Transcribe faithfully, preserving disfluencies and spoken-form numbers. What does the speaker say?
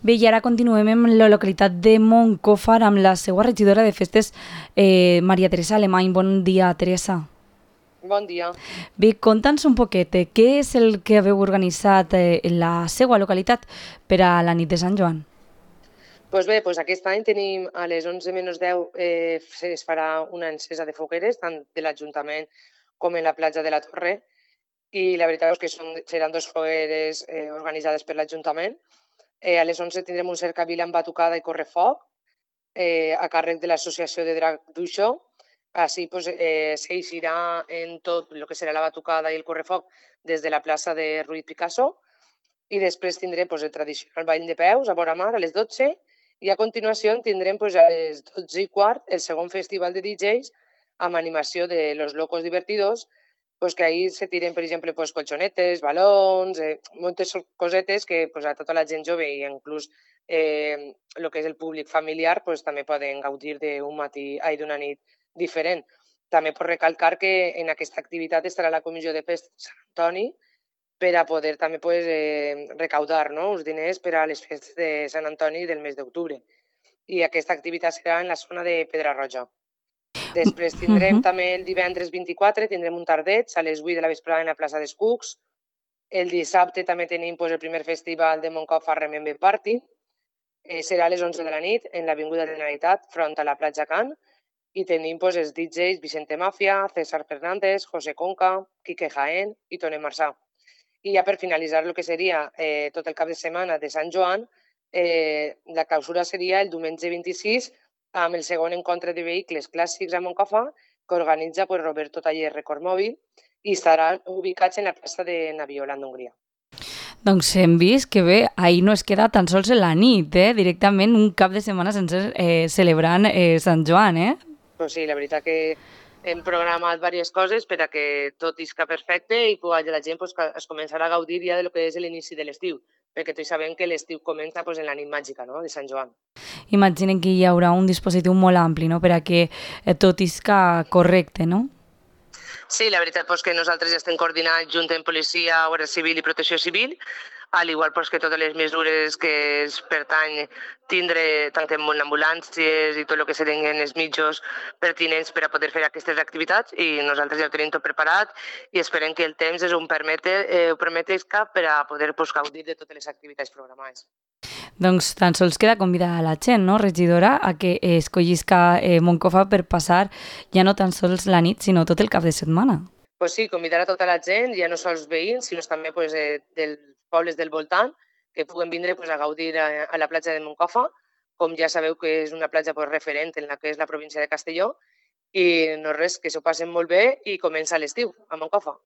Bé, i ara continuem amb la localitat de Moncofa amb la seva regidora de festes, eh, Maria Teresa Alemany. Bon dia, Teresa. Bon dia. Bé, conta'ns un poquet, eh, què és el que haveu organitzat eh, en la seva localitat per a la nit de Sant Joan? Pues bé, pues aquest any tenim a les onze menys deu eh, es farà una encesa de fogueres, tant de l'Ajuntament com en la platja de la Torre, i la veritat és que són, seran dos fogueres eh, organitzades per l'Ajuntament. Eh, a les onze tindrem un cercavila amb batucada i correfoc eh, a càrrec de l'Associació de Drac d'Uixó. Així pues, eh, s'eixirà en tot el que serà la batucada i el correfoc des de la plaça de Ruiz Picasso, i després tindrem pues, el tradicional ball de peus a vora mar a les dotze, i a continuació tindrem pues, a les dotze i quart el segon festival de D Js amb animació de Los Locos Divertidos, pues, que ahir se tiren, per exemple, pues, colxonetes, balons, eh, moltes cosetes que pues, a tota la gent jove i inclús eh, el que és el públic familiar pues, també poden gaudir d'un matí, ai, d'una nit diferent. També pot recalcar que en aquesta activitat estarà la Comissió de Festes de Sant Antoni per a poder també pues, eh, recaudar no, uns diners per a les festes de Sant Antoni del mes d'octubre. I aquesta activitat serà en la zona de Pedrarroja. Després Uh tindrem -huh. també el divendres vint-i-quatre, tindrem un tardeig a les vuit de la vesprada en la plaça dels Cucs. El dissabte també tenim pues, el primer festival de Moncofa Remember Party. Eh, serà a les onze de la nit en l'Avinguda de Generalitat, front a la platja Can. I tenim pues, els D Js Vicente Mafia, César Fernández, José Conca, Quique Jaén i Tone Marçà. I ja per finalitzar el que seria eh, tot el cap de setmana de Sant Joan, eh, la clausura seria el diumenge vint-i-sis amb el segon encontre de vehicles clàssics a Moncofa que organitza pues, Roberto Taller Record Mòbil i estaran ubicats en la plaça de Naviola, en Hongria. Doncs hem vist que bé, ahir no es queda tan sols en la nit, eh? Directament un cap de setmana sense eh, celebrant eh, Sant Joan, eh? Pues sí, la veritat que hem programat diverses coses per a que tot isca perfecte i que la gent pues, es començarà a gaudir ja de lo que és l'inici de l'estiu, perquè tots sabem que l'estiu comença pues, en la nit màgica no? de Sant Joan. Imaginen que hi haurà un dispositiu molt ampli, no?, per a que eh, tot isca correcte, no? Sí, la veritat és que nosaltres ja estem coordinant junt amb Policia, Guàrdia Civil i Protecció Civil, al igual pues, que totes les mesures que es pertany tindre tant en ambulàncies i tot el que serien els mitjos pertinents per a poder fer aquestes activitats, i nosaltres ja ho tenim tot preparat i esperem que el temps ens ho permeti, eh, ho permetisca per a poder pues, gaudir de totes les activitats programades. Doncs tan sols queda convidar a la gent, no, regidora, a que escollisca eh, Moncofa per passar ja no tan sols la nit, sinó tot el cap de setmana. Pues sí, convidar a tota la gent, ja no sols veïns, sinó també pues, eh, dels pobles del voltant, que puguen vindre pues, a gaudir a, a la platja de Moncofa, com ja sabeu que és una platja pues, referent en la que és la província de Castelló, i no res, que s'ho passen molt bé i comença l'estiu a Moncofa.